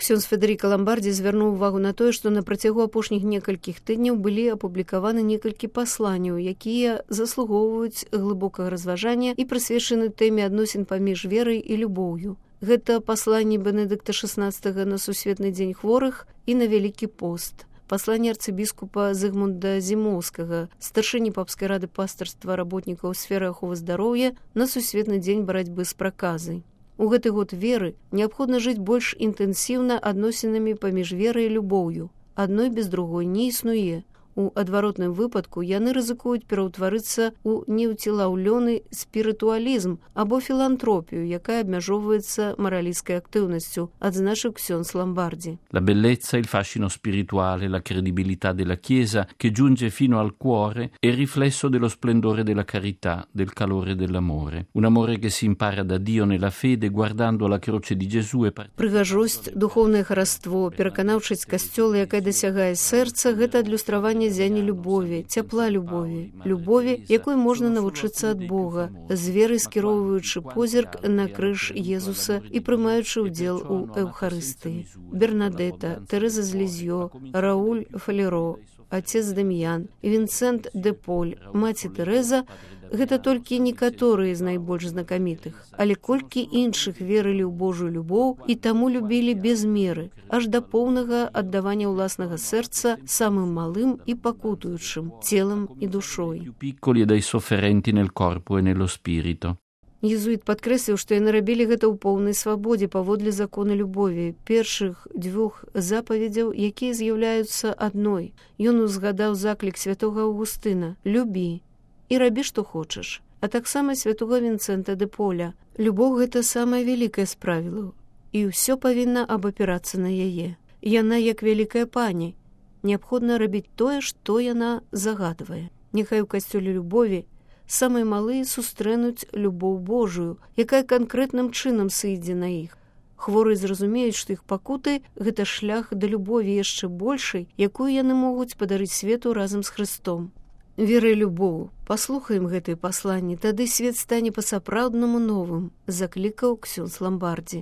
Ксёндз Федэрыка Ламбардзі звярнуў увагу на тое, што на працягу апошніх некалькіх тыдняў былі апублікаваны некалькі пасланняў, якія заслугоўваюць глыбокага разважання і прысвечаны тэме адносін паміж верай і любоўю. Гэта пасланні Бенедыкта XVI на Сусветны дзень хворых і на Вялікі пост. Пасланне арцыбіскупа Зыгмунда Зімоўскага, старшыні папскай рады пастырства работнікаў сферы аховы здароўя на Сусветны дзень барацьбы з праказай. У гэты год веры неабходна жыць больш інтэнсіўна адносінамі паміж верай і любоўю. Адной без другой не існуе. У адваротным выпадку яны рызыкуюць пераўтварыцца ў неўцелаўлёны спірытуалізм або філантропію, якая абмяжоўваецца маралісцкай актыўнасцю, адзначыў Ксёндз Ламбардзі. La bellezza, il fascino spirituale, la credibilità della Chiesa che giunge fino al cuore è il riflesso dello splendore della carità, del calore dell'amore. Un amore che si impara da Dio nella fede guardando la croce di Gesù e Прыгажосць, духоўнае хараство, пераканаўчасць касцёла, якая дасягае сэрца, гэта адлюстраванне зяні любові, цяпла любові, якой можна навучыцца ад Бога, з верай скіроўваючы позірк на крыж Езуса і прымаючы ўдзел у Эўхарыстыі. Бернадета, Тэрэза з Лізьё, Рауль Фалеро, отец Дам'ян, Вінцэнт де Поль, маці Тэрэза – гэта толькі некаторыя з найбольш знакамітых, але колькі іншых верылі ў Божую любоў і таму любілі без меры, аж да поўнага аддавання ўласнага сэрца самым малым і пакутуючым, целам і душой. piccoli e dai sofferenti nel corpo e nello spirito. Езуіт падкрэсліў, што яны рабілі гэта ў поўнай свабодзе паводле закона любові, першых дзвюх запаведзяў, якія з'яўляюцца адной. Ён узгадаў заклік святога Аўгустына «Любі» і рабі, што хочаш, а таксама святога Вінцэнта де Поля. Любоў – гэта самае вялікае з правілаў, і ўсё павінна абапірацца на яе. Яна як вялікая пані. Неабходна рабіць тое, што яна загадвае. Няхай у касцёле любові самыя малыя сустрэнуць любоў Божую, якая канкрэтным чынам сыйдзе на іх. Хворыя зразумеюць, што іх пакуты – гэта шлях да любові яшчэ большай, якую яны могуць падарыць свету разам з Хрыстом. Вера і любоў. Паслухаем гэтыя пасланні, тады свет стане па-сапраўднаму новым, заклікаў Ксёндз Ламбардзі.